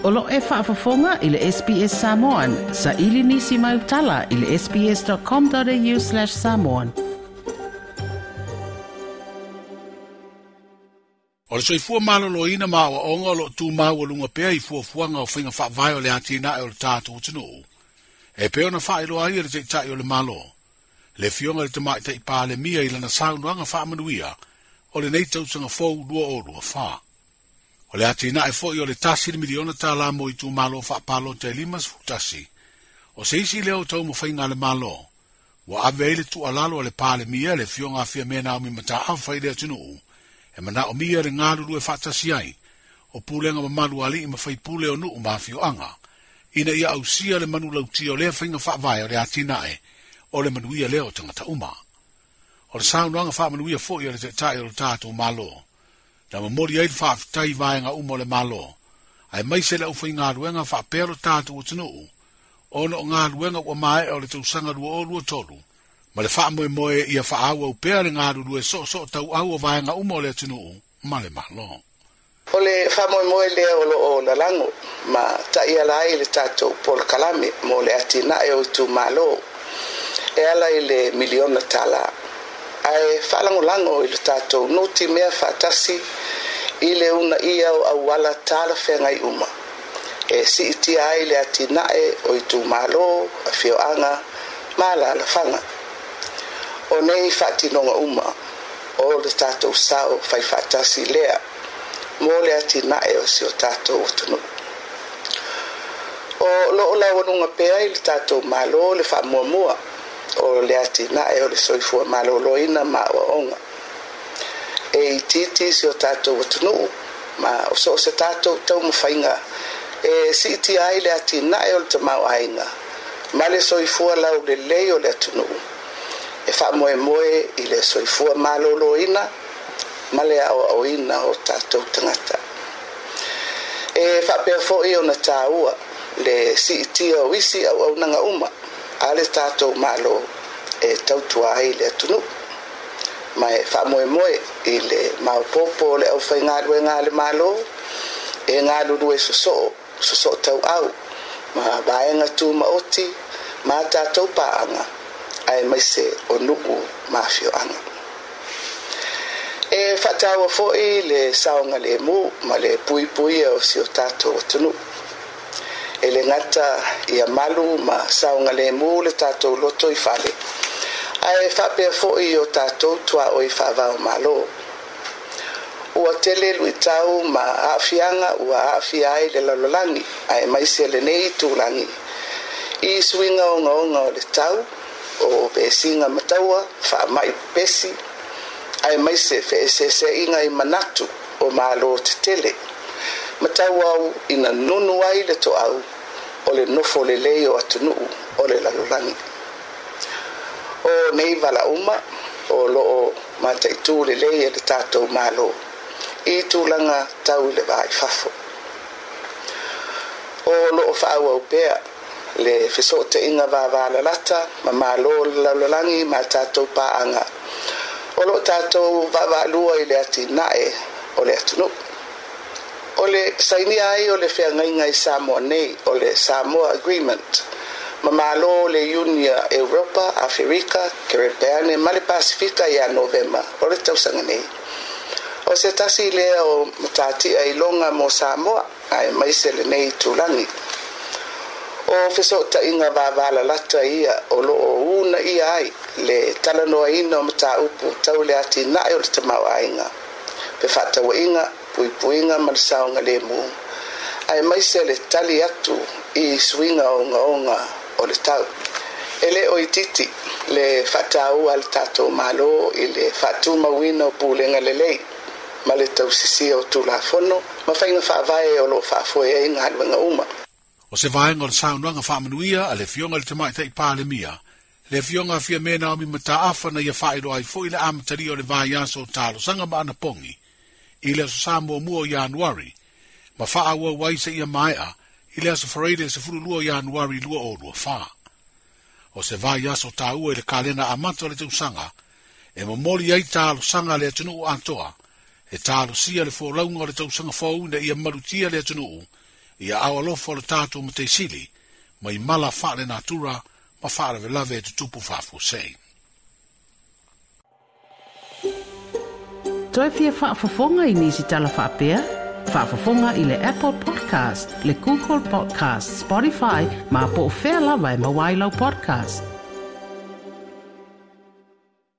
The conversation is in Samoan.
O lo o e faafofoga i le SBS Samoan. Saili nisi mau tala i le sbs.com.au/samoan. O le soifua maloloina ma aoaoga o lo o tumaualuga pea i fuafuaga o faiga faavae o le atinae o le tatou atunuu, e pei ona faailoa ai e le Taitai o le Malo, le Afioga i le Tamaitai Palemia i lana saunoaga faamanuia o lenei tausaga fou 2024. O le atinae foi o le $1 miliona mo itumalo faapalota e 51, o se isi lea o taumafaiga a le Malo, ua ave ai le tuualalo a le Palemia le Afioga a Fiame Naomi Mataafa i le atunuu, e manaomia le galulue faatasi ai o pulega mamalu a alii ma faipule o nuu ma afioaga, ina ia ausia le manulautia o lea faiga faavae o le atinae o le manuia lea o tagata uma. O le saunoaga faamanuia foi a le Taitai o le tatou Malo, na momoli ai le faafetai i vaega uma o le Malo, aemaise le aufaigaluega faapea lo tatou atunuu, ona o galuega ua maea o le tausaga 2023, ma le faamoemoe ia faaauau pea le galulue soosoo tauau o vaega uma o le atunuu ma le Malo. O le faamoemoe lea o loo lalago ma taiala ai le tatou polokalame mo le atinae o itumalo e ala i le miliona tala, ae faalagolago i le tatou nutimea faatasi i le uunaia o auala talafeagai uma e siitia ai le atinae o itumalo, afioaga ma alaalafaga. O nei faatinoga uma o le tatou sao faifaatasi lea mo le atinae o si o tatou atunuu. O loo laualuga pea i le tatou Malo le faamuamua o le atinae o le soifua maloloina ma aoaoga. E itiiti si o tatou atunuu ma o so o se tatou taumafaiga e siitia ai le atinae o le tamaoaiga ma le soifua laulelei o le atunuu, e faamoemoe i le soifua maloloina ma le aoaoina o tatou tagata. E faapea foi ona taua le siitia o isi auaunaga uma a le tatou Malo e tautua ai le atunuu, ma e faamoemoe i le maopoopo o le aufaigaluega a le Malo e galulue sosoo sosoo tauau ma vaega tumaoti ma tatou paaga aemaise o nuu ma afioaga. E faataua foi le saogalemu ma le puipuia o si o tatou atunuu. E le gata ia malu ma saogalemu le tatou loto i fale, ae faapea foi o tatou tuaoi faava-o-Malo. Ua tele luitau ma aafiaga ua aafia ai le lalolagi aemaise lenei itulagi i suiga ogaoga o le tau, o vesiga ma taua, faamai pepesi, aemaise feeseeseaiga i manatu o malo tetele, ma tauau ina nunu ai le toau o le nofo lelei o atunuu o le lalolagi. O nei vala uma o loo mataitu lelei e le tatou Malo i tulaga tau i le va i fafo. O loo faaauau pea le fesootaiga vavalalata ma malo o le lalolagi ma tatou paaga o loo tatou vaavaalua i le atinae o le atunuu. O le sainia ai o le feagaiga i Samoa nei o le Samoa Agreement ma malo o le Iunia Europa, Aferika, Kerepeane ma le Pasifika ia Novema o le tausaga nei. O se tasi lea o matatia iloga mo Samoa aemaise lenei itulagi. O fesootaiga vavalalata ia o loo uunaia ai le talanoaina o mataupu tau le atinae o le tamaoaiga, fefaatauaiga, puipuiga ma le saogalemu, aemaise le tali atu i suiga ogaoga o le tau. E le o itiiti le faataua a le tatou Malo i le faatumauina o pulega lelei ma le tausisia o Tulafono ma faiga faavae o loo faafoe ai galuega uma. O se vaega o le saunoaga faamanuia a le Afioga i le Tamaitai Palemia, le Afioga a Fiame Naomi Mataafa na ia faailoa ai foi le amatalia o le vaiaso o talosaga ma anapogi i le aso Sa muamua o Ianuari, ma faaauau ai seia maea i le aso Faraile 12 o Ianuari 2024. O se vaiaso taua i le kalena amata o le tausaga, e momoli ai talosaga a le atunuu atoa, e talosia le folauga o le tausaga fou ina ia malutia le atunuu I aao alofa o le tatou Matai Sili mai mala faalenatura ma faalavelave e tutupu faafuasei. Toe fia faafofoga i nisi tala faapea? Faafofoga i le Apple Podcast, le Google Podcast, Spotify, ma po o fea lava e maua ai lau podcast.